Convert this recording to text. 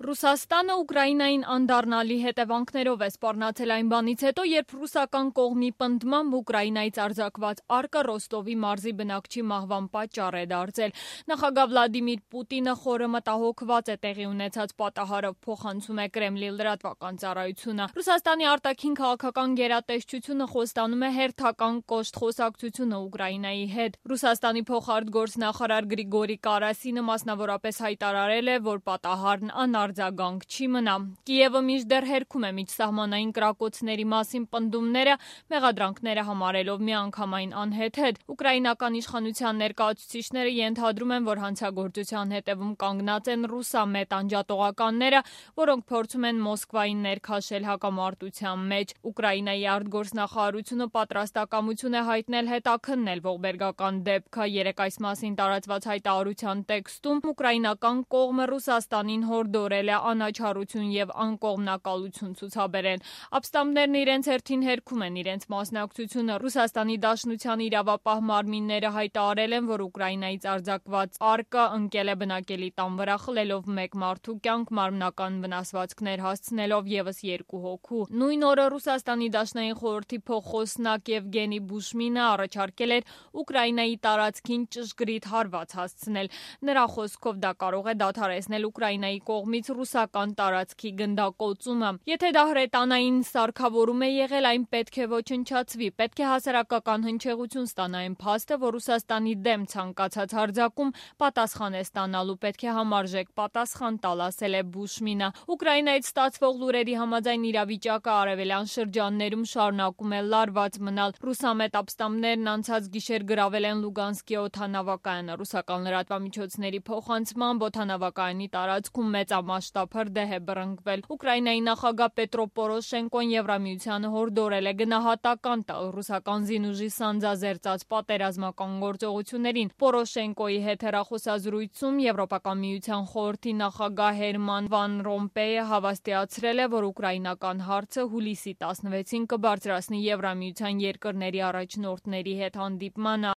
Ռուսաստանը Ուկրաինային անդառնալի հետևանքներով է սպառնացել այն բանից հետո, երբ ռուսական կողմի պնդմամբ Ուկրաինայից արձակված արկը Ռոստովի մարզի բնակչի մահվան պատճառ է դարձել։ Նախագահ Վլադիմիր Պուտինը խորը մտահոգված է տեղի ունեցած պատահարով, փոխանցում է Կրեմլի լրատվական ծառայությունը։ Ռուսաստանի արտաքին քաղաքական գերատեսչությունը խոստանում է հերթական կոշտ խոսակցությունը Ուկրաինայի հետ։ Ռուսաստանի փոխարտգործնախարար Գրիգորի Կարասինը մասնավորապես հայտարարել է, որ պատահարն անարձագանք չի մնա։ Կիևը մինչդեռ հերքում է միջսահմանային կրակոցների մասին պնդումները, մեղադրանքները համարելով միանգամայն անհեթեթ։ Ուկրաինական իշխանության ներկայացուցիչները ենթադրում են, որ հանցագործության հետևում կանգնած են ռուսամետ անջատողականները, որոնք փորձում են Մոսկվային ներքաշել հակամարտության մեջ։ Ուկրաինայի արտգործնախարարությունը պատրաստակամություն է հայտնել հետաքննել ողբերգական դեպքը։ Երեկ այս մասին տարածված հայտարարության տեքստում ուկրաինական կողմը Ռուսաստանին հորդորել է անաչառություն եւ անկողմնակալություն ցուցաբերել։ Ապստամբներն իրենց հերթին հերքում են իրենց մասնակցությունը։ Ռուսաստանի Դաշնության իրավապահ մարմինները հայտարարել են, որ Ուկրաինայից արձակված արկը ընկել է բնակելի տան վրա, խլելով մեկ մարդու կյանք, մարմնական վնասվածքներ հասցնելով եւս 2 հոգու։ Նույն օրը Ռուսաստանի Դաշնային խորհրդի փոխխոսնակ Եվգենի Բուշմինը առաջարկել էր Ուկրաինայի տարածքին ճշգրիտ հարված հասցնել։ Նրա խոսքով դա կարող է դադարեցնել Ուկրաինայի կողմից ռուսական տարածքի գնդակոծումը։ Եթե դա հրետանային սարքավորում է եղել, այն պետք է ոչնչացվի։ Պետք է հասարակական հնչեղություն ստանա այն փաստը, որ Ռուսաստանի դեմ ցանկացած հարձակում պատասխան է ստանալու, պետք է համարժեք պատասխան տալ, ասել է Բուշմինը։ Ուկրաինայից ստացվող լուրերի համաձայն իրավիճակը արևելյան շրջաններում շարունակում է լարված մնալ։ Ռուսամետ ապստամբներն անցած գիշեր գրավել են Լուգանսկի օդանավակայանը։ Ռուսական լրատվամիջոցների փոխանցմամբ օդանավակայանի տարածքում մեծամասշտաբ հրդեհ է բռնկվել։ Ուկրաինայի նախագահ Պետրո Պորոշենկոն Եվրամիությանը հորդորել է գնահատական տալ ռուսական զինուժի սանձազերծած պատերազմական գործողություններին։ Պորոշենկոյի հետ հեռախոսազրույցում Եվրոպական միության խորհրդի նախագահ Հերման Վան Ռոմպեյը հավաստիացրել է, որ ուկրաինական հարցը հուլիսի 16-ին կբարձրացնի Եվրամիության երկրների առաջնորդների հետ հանդիպմանը։